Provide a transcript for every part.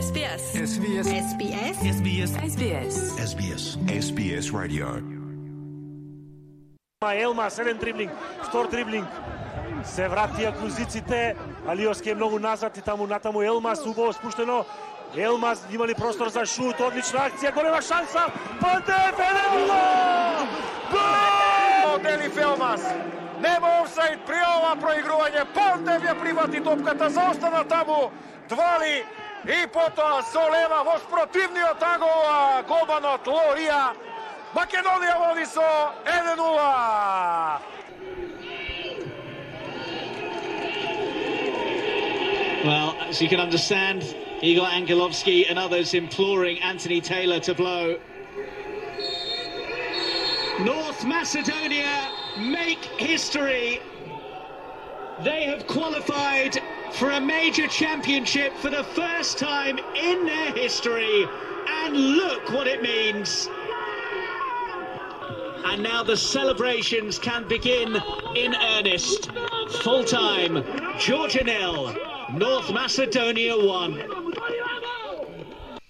SBS. SBS. SBS. SBS. SBS. SBS. SBS Radio. Елмас, еден дриблинг, втор дриблинг. Се вратија клузиците, Алиоски е многу назад и натаму Елмас, убаво спуштено. Елмас има ли простор за шут, одлична акција, голема шанса. Пантев, 1-0! Гол! Делиф Елмас. Нема офсайд при ова проигрување. Пантев ја привати топката, заостана таму. Двали и потоа Солева во спротивниот ангол, голманот Лорија. Македонија води со 1-0. Well, as you can understand, Igor Angelovski and others imploring Anthony Taylor to blow. North Macedonia make history. They have qualified for a major championship for the first time in their history. And look what it means. And now the celebrations can begin in earnest. Full time, Georgia 0, North Macedonia 1.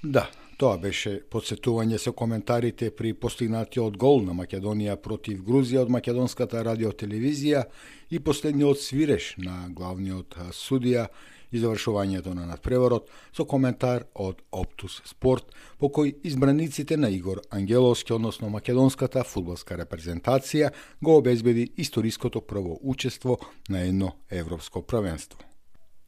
Да, тоа беше подсетување со коментарите при постигнатиот гол на Македонија против Грузија од македонската радиотелевизија и последниот свиреш на главниот судија и завршувањето на надпреворот со коментар од Оптус Спорт, по кој избраниците на Игор Ангеловски, односно македонската фудбалска репрезентација, го обезбеди историското прво учество на едно европско првенство.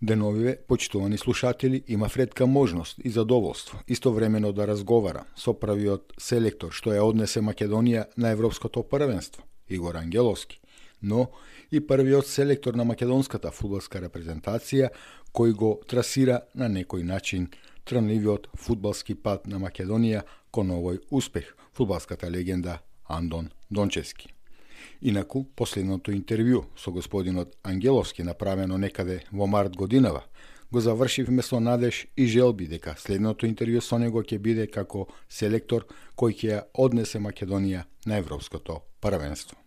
Деновиве, почитувани слушатели, има ретка можност и задоволство истовремено да разговара со првиот селектор што ја однесе Македонија на европското првенство, Игор Ангеловски, но и првиот селектор на македонската фудбалска репрезентација кој го трасира на некој начин трнливиот фудбалски пат на Македонија кон овој успех, фудбалската легенда Андон Дончевски. Инаку, последното интервју со господинот Ангеловски, направено некаде во март годинава, го завршивме со надеж и желби дека следното интервју со него ќе биде како селектор кој ќе ја однесе Македонија на европското првенство.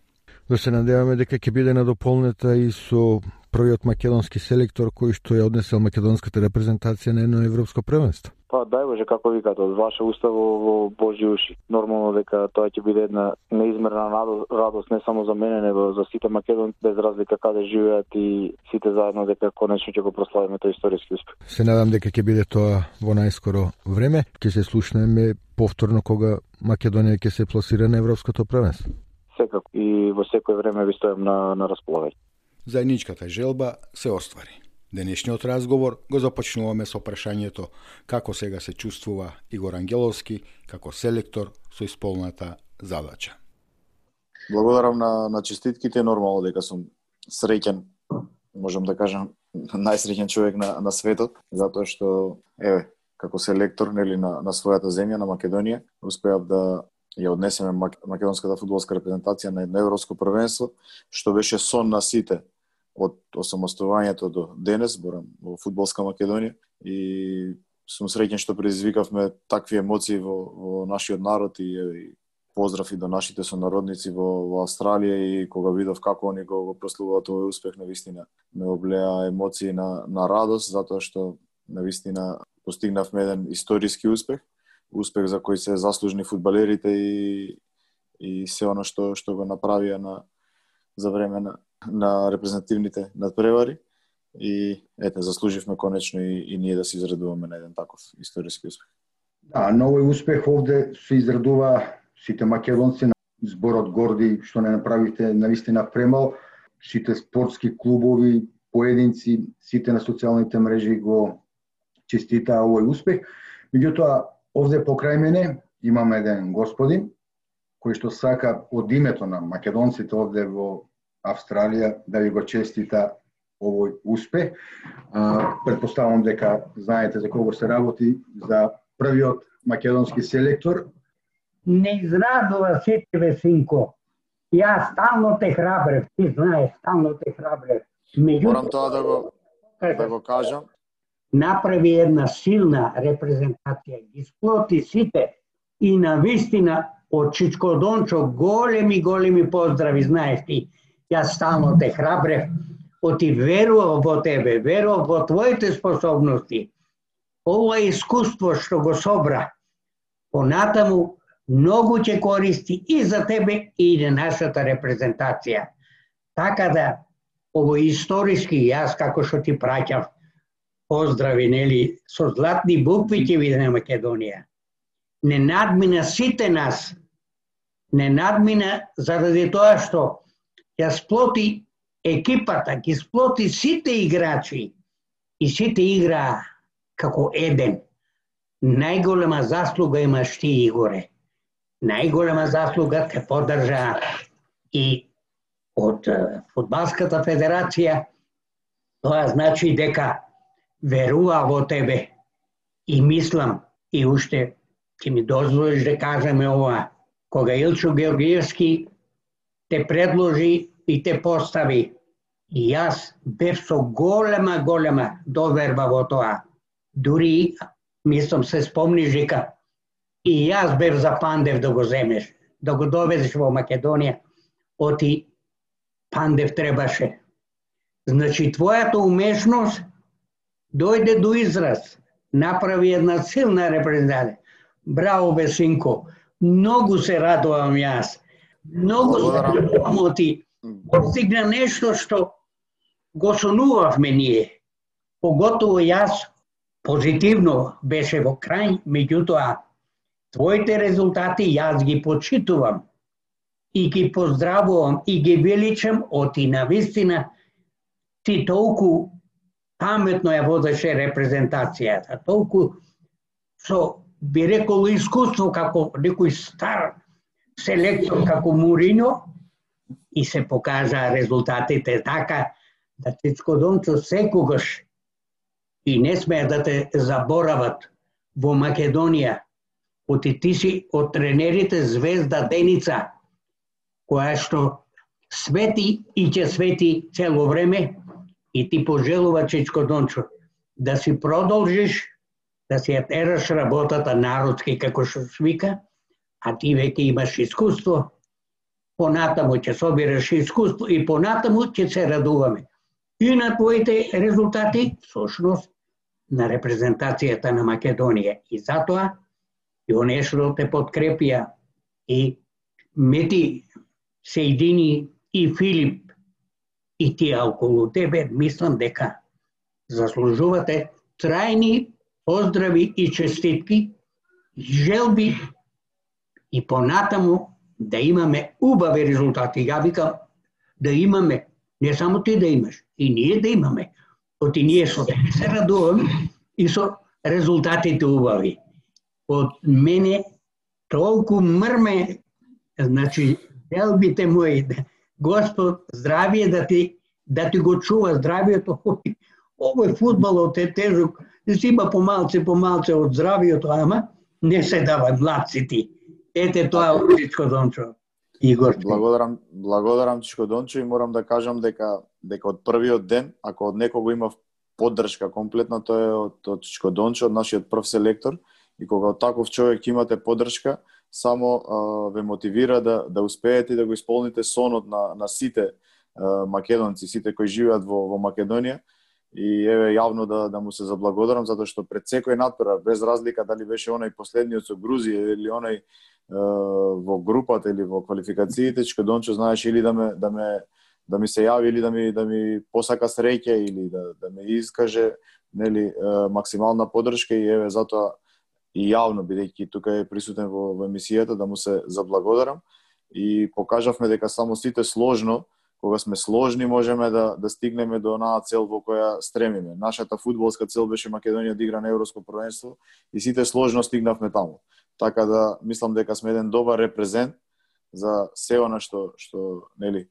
Да се надеваме дека ќе биде надополнета и со првиот македонски селектор кој што ја однесел македонската репрезентација на едно европско првенство. Па дај Боже, како викате, од ваше уста во Божји уши. Нормално дека тоа ќе биде една неизмерна радост не само за мене, него за сите македонци, без разлика каде живеат и сите заедно, дека конечно ќе го прославиме тој историски успех. Се надам дека ќе биде тоа во најскоро време. Ќе се слушнеме повторно кога Македонија ќе се пласира на европското првенство. Секако и во секој време ви стојам на располагање. Заедничката желба се оствари. Денешниот разговор го започнуваме со прашањето како сега се чувствува Игор Ангеловски како селектор со исполната задача. Благодарам на честитките, нормално дека сум среќен, можам да кажам најсреќен човек на светот, затоа што како селектор нели на својата земја, на Македонија, успеав да ја однесеме македонската фудбалска репрезентација на едно европско првенство, што беше сон на сите од осамостувањето до денес, борам во фудбалска Македонија, и сум среќен што предизвикавме такви емоции во нашиот народ и поздрав и до нашите сонародници во Австралија, и кога видов како они го прославуваат овој успех, навистина ме облеа емоции на радост, затоа што навистина постигнавме еден историски успех за кој се заслужни фудбалерите и се оно што го направија за време на репрезентативните надпревари, и заслуживме конечно и ние да се израдуваме на еден таков историски успех. Да, на овој успех овде се израдува сите македонци, зборот горди што не направите навистина премал, сите спортски клубови, поединци, сите на социјалните мрежи го честитаа овој успех. Меѓутоа, овде покрај мене имаме еден господин кој што сака од името на македонците овде во Австралија да ви го честита овој успех. Предпоставам дека знаете за кого се работи, за првиот македонски селектор. Не израдува сите ве, синко. Јас стално те храбрев, ти знаеш, стално те храбрев. Морам тоа да го кажам. Направи една силна репрезентација, ги сплоти сите и навистина од Чичко Дончо големи поздрави, знаеш ти. Јас стално те храбрев, оти верував во тебе, верував во твоите способности. ова искуство што го собра, понатаму многу ќе користи и за тебе и за нашата репрезентација. Така да, ово историски, јас како што ти праќав поздрави, нели, со златни букви ќе биде на Македонија. Не надмина сите нас, не надмина заради тоа што ја сплоти екипата, ги сплоти сите играчи и сите играа како еден. Најголема заслуга имаш ти, Игоре. Најголема заслуга те поддржа и од Фудбалската федерација. Тоа значи дека верува во тебе. И мислам, и уште ќе ми дозволиш да кажеме ова, кога Илчо Георгиевски те предложи и те постави, и јас бев со голема доверба во тоа. Дури, мислам, се спомниш дека и јас бев за Пандев да го земеш, да го доведеш во Македонија. Оти Пандев требаше. Значи, твојата умешност дојде до израз. Направи една силна репрезентација. Браво, бе, синко. Многу се радувам јас. Многу се радувам оти. Постигна нешто што го сонувавме ние. Поготово јас, позитивно беше во крај, меѓутоа, твоите резултати јас ги почитувам и ги поздравувам и ги величам, оти навистина ти толку паметно ја водеше репрезентацијата, толку со, би рекол, искуство како некој стар селектор како Мурино, и се покажа резултатите така да Чичко Дончо секогаш и не смеа да те заборават во Македонија. Оти ти си од тренерите звезда Деница, која што свети и ќе свети цело време, и ти пожелува, Чичко Дончо, да си продолжиш, да си ја тераш работата народски, како што свика, а ти веќе имаш искуство, понатаму ќе собираш искуство и понатаму ќе се радуваме. И на твоите резултати, всушност, на репрезентацијата на Македонија. И затоа, и онешто те подкрепија, и Мети Сејдини и Филип, и тие околу тебе, мислам дека заслужувате трајни поздрави и честитки, желби и понатаму да имаме убави резултати. Ја викам да имаме, не само ти да имаш, и ние да имаме. Оти ние со тебе се радуваме и со резултатите убави. Од мене толку мрме, значи, желбите мои, Господ здравие да ти го чува здравието. Овој фудбалот е тежок, зима помалце од здравието, ама не се дава младците. Ете тоа од Чичко Дончо. Игор. Благодарам Чичко Дончо и морам да кажам дека од првиот ден, ако од некого имав поддршка комплетна, тоа е од Чичко Дончо, од нашиот прв селектор, и кога од таков човек имате поддршка, само ве мотивира да успеете и да го исполните сонот на сите македонци, сите кои живеат во Македонија. И еве јавно да му се заблагодарам, затоа што пред секој натпревар, без разлика дали беше онај последниот со Грузија или онај во групата или во квалификациите, Чичко Дончо знаеше или да ми се јави, или да ми посака среќа, или да ме искаже, нели, максимална поддршка. И еве затоа и јавно, бидејќи тука е присутен во емисијата, да му се заблагодарам. И покажавме дека само сите сложно, кога сме сложни, можеме да стигнеме до онаа цел во која стремиме. Нашата фудбалска цел беше Македонија да игра на Европско првенство и сите сложно стигнавме таму. Така да мислам дека сме еден добар репрезент за се она што нели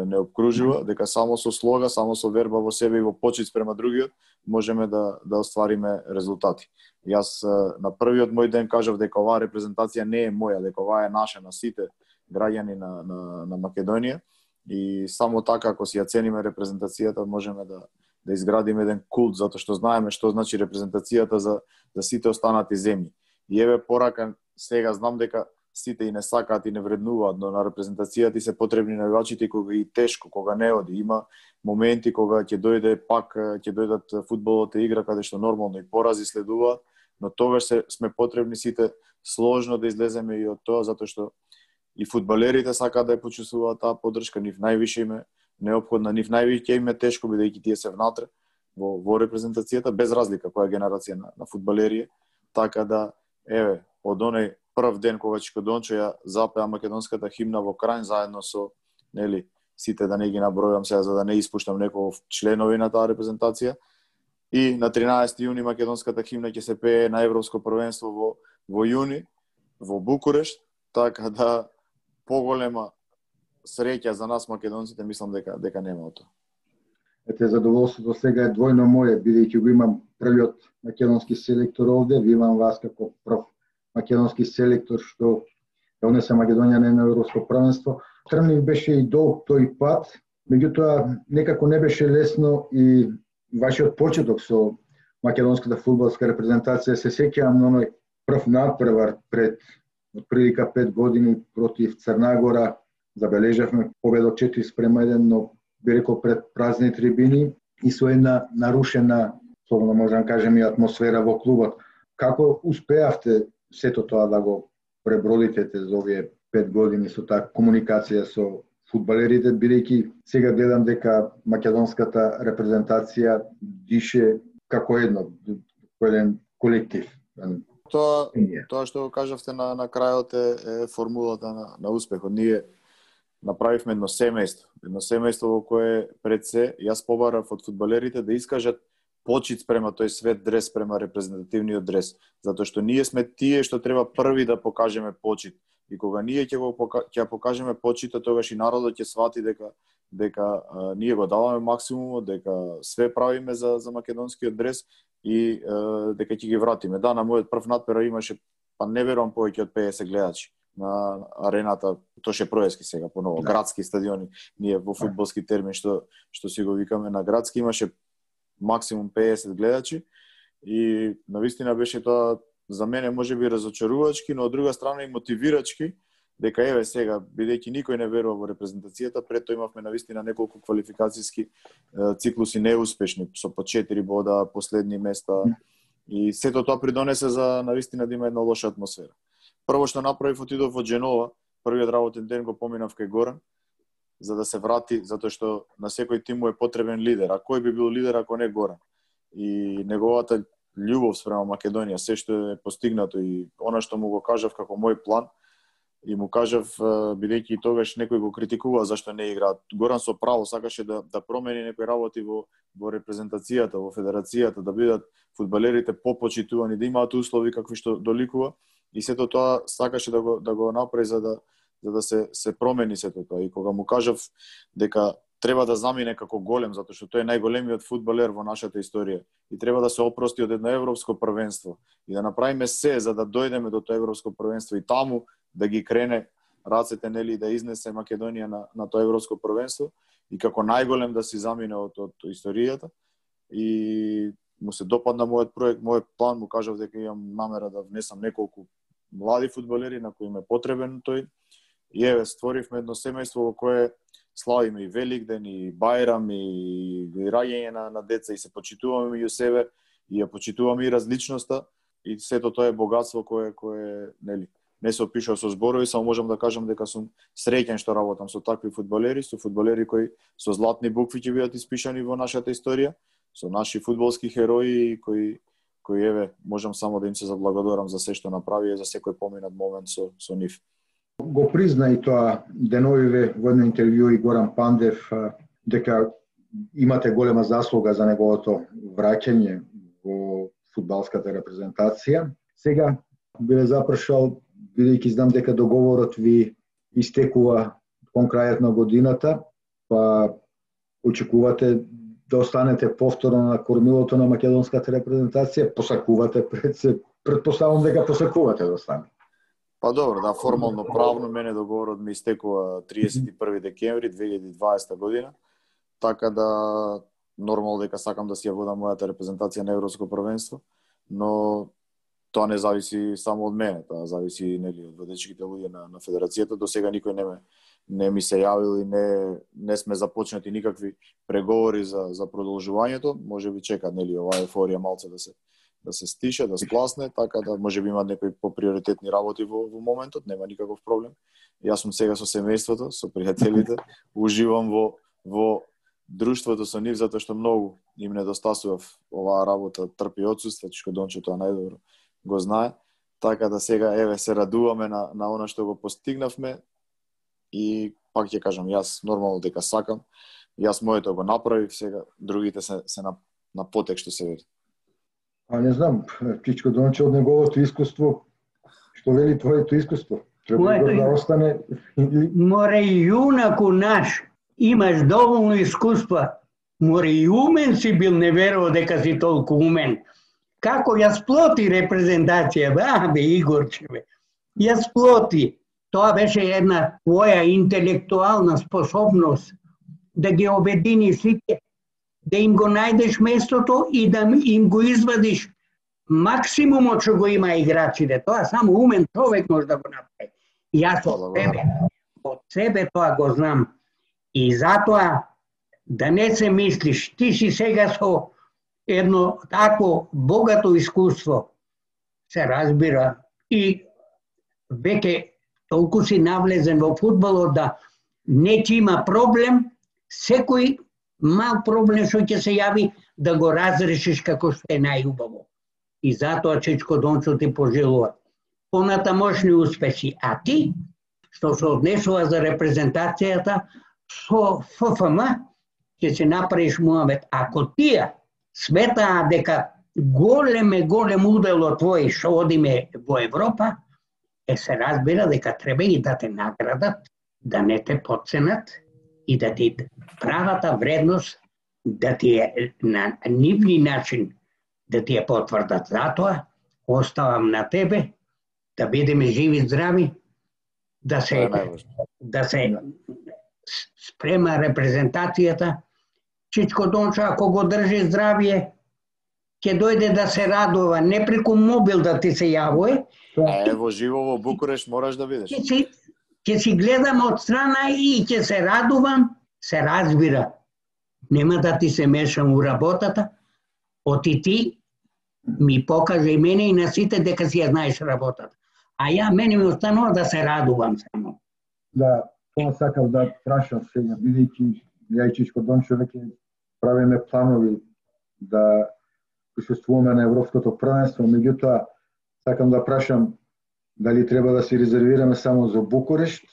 не обкружува, дека само со слога, само со верба во себе и во почит спрема другиот можеме да оствариме резултати. Јас на првиот мој ден кажав дека оваа репрезентација не е моја, дека оваа е наша, на сите граѓани на Македонија. И само така, ако си ја цениме репрезентацијата, можеме да изградиме еден култ, затоа што знаеме што значи репрезентацијата за сите останати земји. И еве порака, сега знам дека сите и не сакаат и не вреднуваат, но на репрезентацијата и се потребни навивачите кога и тешко, кога не оди. Има моменти кога ќе дојде пак, ќе дојдат фудбалот игра каде што нормално и порази следуваат, но тогаш сме потребни сите сложно да излеземе и од тоа, затоа што и фудбалерите сакаат да ја почувствуваат таа поддршка, нив највише им е неопходна, нив највише им е тешко бидејќи тие се внатре во репрезентацијата, без разлика која генерација на фудбалери е. Така да, еве, од оној прв ден кога Чичко Дончо ја запеа македонската химна во Крајн заедно со, нели, сите да не ги набројам сега за да не испуштам некој членови на таа репрезентација, и на 13 јуни македонската химна ќе се пее на Европско првенство во јуни во Букурешт, така да поголема среќа за нас македонците мислам дека нема од тоа. Ете, задоволството сега е двојно моје, бидејќи го имам првиот македонски селектор овде, ви имам вас како прв македонски селектор што донесе Македонија на Европско првенство. Трмлив беше и долг тој пат, меѓутоа некако не беше лесно и вашиот почеток со македонската фудбалска репрезентација. Се сеќавам на оној прв надпревар пред отприлика 5 години против Црна забележавме победа 4-1, но би рекол пред празни трибини и со една нарушена, слободно можам кажем, и атмосфера во клубот. Како успеавте сето тоа да го пребродите за овие 5 години со таа комуникација со фудбалерите, бидејќи сега гледам дека македонската репрезентација дише како еден колектив. Тоа што го кажавте на крајот е формулата на успехот. Ние направивме едно семејство во кое пред се јас побарав од фудбалерите да искажат почит спрема тој свет дрес, спрема репрезентативниот дрес, затоа што ние сме тие што треба први да покажеме почит. И кога ние ќе покажеме почитот, тогаш и народот ќе свати дека ние го даваме максимумот, дека све правиме за македонскиот дрес и дека ќе ги вратиме. Да, на мојот прв надпревар имаше, па не верувам, повеќе од 50 гледачи на арената, Тоше Проески сега поново, градски стадиони, ние во фудбалски термин што си го викаме на градски, имаше максимум 50 гледачи и навистина беше тоа за мене можеби разочарувачки, но од друга страна и мотивирачки, дека еве сега, бидејќи никој не верува во репрезентацијата, пред тоа имавме навистина неколку квалификацијски циклуси неуспешни, со по 4 бода, последни места, и сето тоа придонесе за навистина да има една лоша атмосфера. Прво што направив, отидов во Дженова, првиот работен ден го поминав кај Горан, за да се врати, затоа што на секој тим му е потребен лидер. А кој би бил лидер ако не Горан? И неговата љубов спрема Македонија, се што е постигнато и она што му го кажав како мој план, и му кажав, бидејќи и тогаш некој го критикува зашто не играат. Горан со право сакаше да промени некои работи во репрезентацијата, во федерацијата, да бидат фудбалерите попочитувани, да имаат услови какви што доликува, и сето тоа сакаше да го направи за да се промени сето тоа. И кога му кажав дека треба да замине како голем, затоа што тој е најголемиот фудбалер во нашата историја и треба да се опрости од едно европско првенство и да направиме се за да дојдеме до тоа европско првенство и таму да ги крене рацете, нели, да изнесе Македонија на тоа европско првенство и како најголем да си замине од историјата. И му се допадна мојот проект, мојот план, му кажав дека имам намера да внесам неколку млади фудбалери на кои им е потребен тој. И еве, створивме едно семејство во кое славиме и Великден, и Бајрам, и раѓање на деца, и се почитуваме меѓу себе, и ја почитуваме и различноста, и сето тоа е богатство кое нели, не се опишува со зборови, само можам да кажам дека сум среќен што работам со такви фудбалери, со фудбалери кои со златни букви ќе бидат испишани во нашата историја, со наши фудбалски херои кои еве, можам само да им се заблагодарам за се што направи и за секој поминат момент со нив. Го призна и тоа деновиве во едно интервју и Горан Пандев дека имате голема заслуга за неговото враќање во фудбалската репрезентација. Сега би ве запрашал, бидејќи знам дека договорот ви истекува кон крајот на годината, па очекувате да останете повторно на кормилото на македонската репрезентација, посакувате предпоставам дека посакувате да останете. Па добро, да, формално правно мене договорот ми истекува 31 декември 2020 година, така да нормално дека сакам да си ја водам мојата репрезентација на Европско првенство, но тоа не зависи само од мене, тоа зависи нели од водечките луѓе на федерацијата. До сега никој не ми се јавил и не сме започнати никакви преговори за продолжувањето. Можеби чекат нели оваа еуфорија малце да се стише, да спласне, така да можеби имат некои поприоритетни работи во моментот, нема никаков проблем. Јас сум сега со семејството, со пријателите, уживам во друштвото со нив затоа што многу им недостасува оваа работа, трпи отсуство, Чичко Дончо тоа најдобро го знае. Така да сега еве се радуваме на она што го постигнавме и пак ќе кажам, јас нормално дека сакам, јас моето го направив, сега другите се на потек што се вели. Не знам, Чичко Дончо од неговото искуство, што вели твоето искуство? Треба да остане. Море јунаку наш, имаш доволно искуства. Море и умен си бил, не верувал дека си толку умен. Како ја сплоти репрезентација, бе Игорче, бе. Ја сплоти. Тоа беше една твоја интелектуална способност да ги обедини сите, да им го најдеш местото и да им го извадиш максимумот што го има играчите. Тоа само умен човек може да го направи. Јас од себе тоа го знам. И затоа да не се мислиш, ти си сега со едно такво богато искуство, се разбира, и веќе толку си навлезен во фудбалот да не ќе има проблем, секој мал проблем што ќе се јави да го разрешиш како што е најубаво. И затоа Чичко Дончо ти пожелува понатамошни успехи. А ти, што се однесува за репрезентацијата, со ФФМ ќе се направиш муабет. Ако тие сметаа дека голем удел од твои што одиме во Европа, се разбира дека треба и да те наградат, да не те подценат и да ти правата вредност да ти е на нивни начин да ти ја потврдат. Затоа оставам на тебе да бидеме живи здрави, да се спрема репрезентацијата. Чичко Дончо, ако го држи здравие, ќе дојде да се радува, не преку мобил да ти се јавува. Во живо во Букуреш мораш да бидеш. Ќе си гледам од страна и ќе се радувам, се разбира. Нема да ти се мешам у работата, оти ти ми покажа и мене и на сите дека си ја знаеш работата. А мене ми останува да се радувам само. Да, тоа сакав да прашам сега, бидејќи ја и Чичко Дончо веќе правиме планови да присуствуваме на Европското првенство, меѓутоа сакам да прашам дали треба да се резервираме само за Букурешт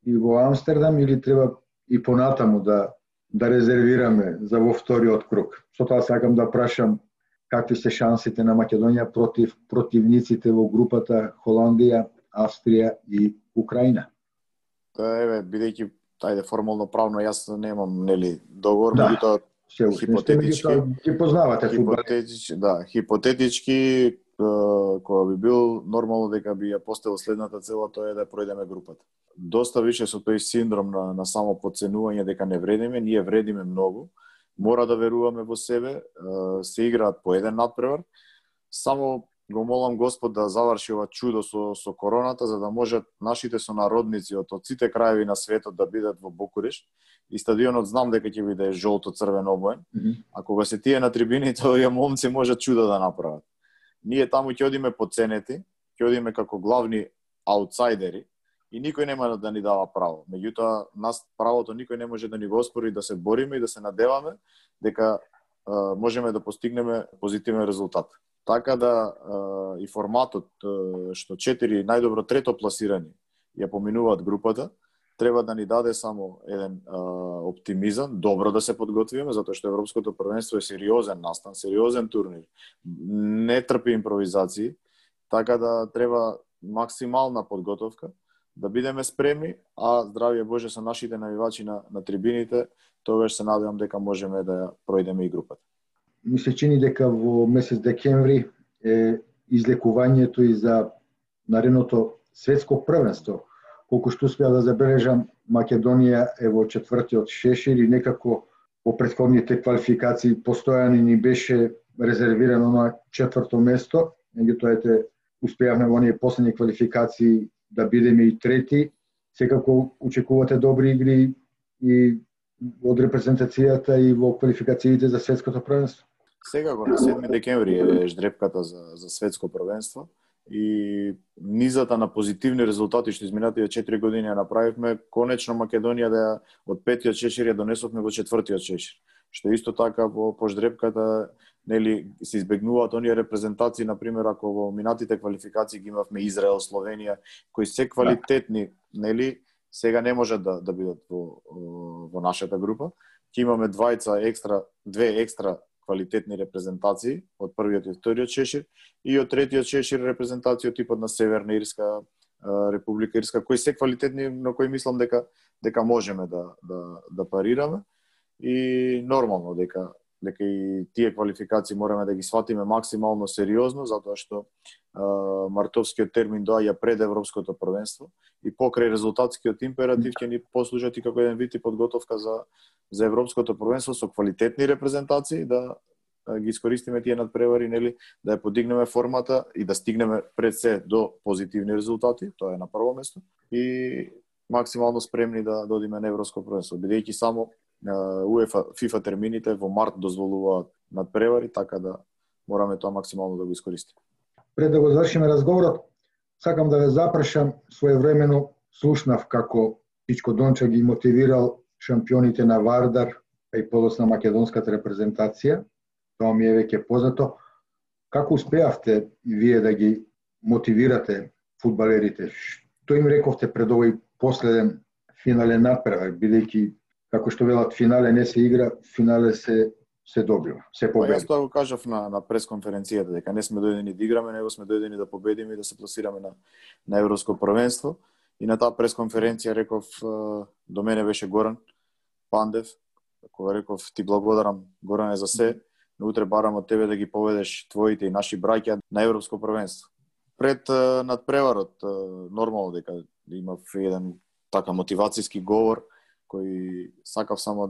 и во Амстердам или треба и понатаму да резервираме за во вториот круг. Со тоа сакам да прашам какви се шансите на Македонија против противниците во групата Холандија, Австрија и Украина. Еве, бидејќи формално правно јас немам договор, меѓутоа хипотетички ги познавате фудбал. Хипотетички кога би бил нормално дека би ја поставил следната цела, тоа е да пројдеме групата. Доста више со тој синдром на само подценување дека не вредиме, ние вредиме многу. Мора да веруваме во себе, се играат по еден надпревар. Само го молам Господ да заврши ова чудо со короната, за да можат нашите сонародници од сите краеви на светот да бидат во Букуреш. И стадионот знам дека ќе биде жолто-црвен обоен. А кога се тие на трибините, овие момци можат чудо да направат. Ние таму ќе одиме подценети, ќе одиме како главни аутсайдери и никој нема да ни дава право. Меѓутоа, нас правото никој не може да ни го оспори, да се бориме и да се надеваме дека можеме да постигнеме позитивен резултат. Така да и форматот што 4 најдобро трето пласирани ја поминуваат групата, треба да ни даде само еден оптимизам, добро да се подготвиме, затоа што Европското првенство е сериозен настан, сериозен турнир. Не трпи импровизации, така да треба максимална подготовка, да бидеме спремни, а здравје Боже со нашите навивачи на трибините, тогаш се надевам дека можеме да пројдеме и групата. Ми се чини дека во месец декември е излекувањето и за наредното светско првенство. Колку што успеа да забележам, Македонија е во четвртиот шешир и некако во претходните квалификации постојано ни беше резервирано на четврто место, меѓутоа успеавме во оние последни квалификации да бидеме и трети. Секако очекувате добри игри и од репрезентацијата и во квалификациите за светското првенство? Секако на 7 декември е ждрепката за светско првенство и низата на позитивни резултати што изминатите 4 години ја направивме, конечно Македонија да од 5-тиот шешир ја донесовме во 4-тиот шешир. Што исто така по ждрепката нели се избегнуваат оние репрезентации, на пример ако во минатите квалификации ги имавме Израел, Словенија, кои се квалитетни, нели сега не можат да бидат во нашата група. Ќе имаме две екстра квалитетни репрезентации од првиот и вториот шешир и од третиот шешир репрезентации од типот на Северна Ирска, Република Ирска, кои се квалитетни, но кои мислам дека можеме да парираме и нормално дека и тие квалификации мораме да ги сватиме максимално сериозно, затоа што мартовскиот термин доаѓа пред европското првенство и покрај резултатскиот императив ќе ни послужат и како еден вид и подготовка за европското првенство со квалитетни репрезентации, да ги искористиме тие надпревари, нели, да ја подигнеме формата и да стигнеме пред се до позитивни резултати, тоа е на прво место, и максимално спремни да одиме на европско првенство, бидејќи само УЕФА, ФИФА термините во март дозволуваат надпревари, така да мораме тоа максимално да го искористиме. Пред да го завршиме разговорот, сакам да ве запрашам, своевремено слушнав како Чичко Дончо ги мотивирал шампионите на Вардар, а и подоцна македонската репрезентација. Тоа ми е веќе познато. Како успеавте вие да ги мотивирате фудбалерите? Што им рековте пред овој последен финален надпревар, бидејќи како што велат, финале не се игра, финале се добива, се победи. Јас тоа го кажав на пресконференцијата, дека не сме дојдени да играме, него сме дојдени да победиме и да се пласираме на европско првенство. И на таа пресконференција реков, до мене беше Горан Пандев, кога реков, ти благодарам Горане за се, но утре барам од тебе да ги поведеш твоите и наши браќа на европско првенство. Пред надпреварот, нормално дека имав еден така мотивацијски говор, кој сакав само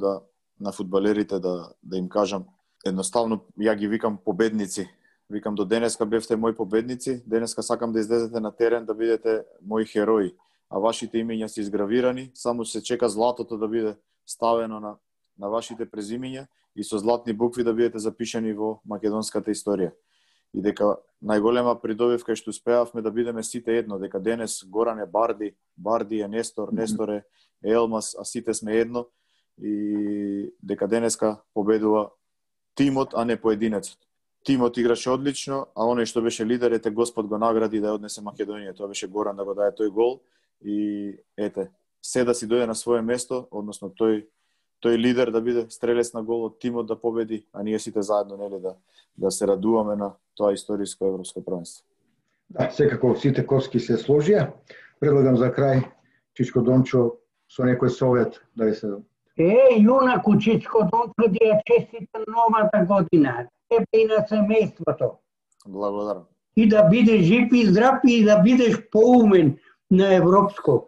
на фудбалерите да им кажам, едноставно ја ги викам победници. Викам, до денеска бевте мои победници, денеска сакам да излезете на терен да бидете мои херои, а вашите имења се изгравирани, само се чека златото да биде ставено на вашите презимења и со златни букви да бидете запишани во македонската историја. И дека најголема придобивка е што успеавме да бидеме сите едно, дека денес Горан е Барди, Барди е Нестор, Нестор е Елмас, а сите сме едно и дека денеска победува тимот, а не поединецот. Тимот играше одлично, а оној што беше лидер, ете Господ го награди да однесе Македонија. Тоа беше Горан да го даде тој гол и ете, се да си дојде на свое место, односно тој лидер да биде стрелец на гол од тимот да победи, а ние сите заедно нели да се радуваме на тоа историско европско првенство. Да, секако сите коски се сложија. Предлагам за крај Чичко Дончо со некој совет да ви се... Јунаку Чичко Дончо, да ја честита новата година, тебе и на семејството. Благодарам. И да бидеш жив и здрав и да бидеш поумен на европско.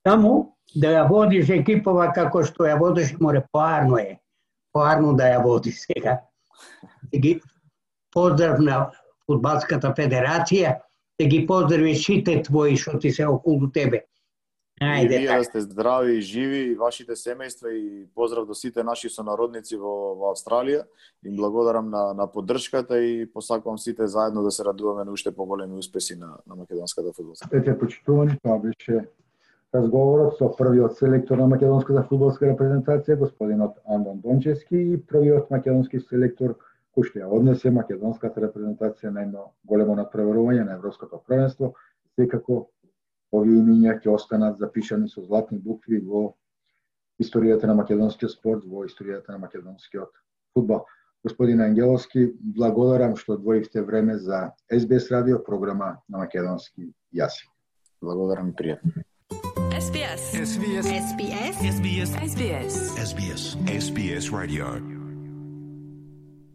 Таму да ја водиш екипова како што ја водиш, море поарно е. Поарно да ја води сега. Да ги поздрав на Фудбалската федерација, да ги поздравиш сите твои што ти се околу тебе. Ајде, вие да сте здрави и живи, и вашите семејства, и поздрав до сите наши сонародници во Австралија. Им благодарам на поддршката и посакувам сите заедно да се радуваме на уште поголеми успеси на македонската фудбалска. Ете, почитувани, тоа беше разговорот со првиот селектор на македонската фудбалска репрезентација, господинот Андон Дончевски, и првиот македонски селектор кој што ја однесе македонската репрезентација на едно големо надпреварување на европското првенство. Секако овие имиња ќе останат запишани со златни букви во историјата на македонскиот спорт, во историјата на македонскиот фудбал. Господин Ангеловски, благодарам што одвоивте време за SBS радио, програма на македонски јазик. Благодарам и пријатно. SBS. SBS. SBS. SBS. SBS. SBS Radio.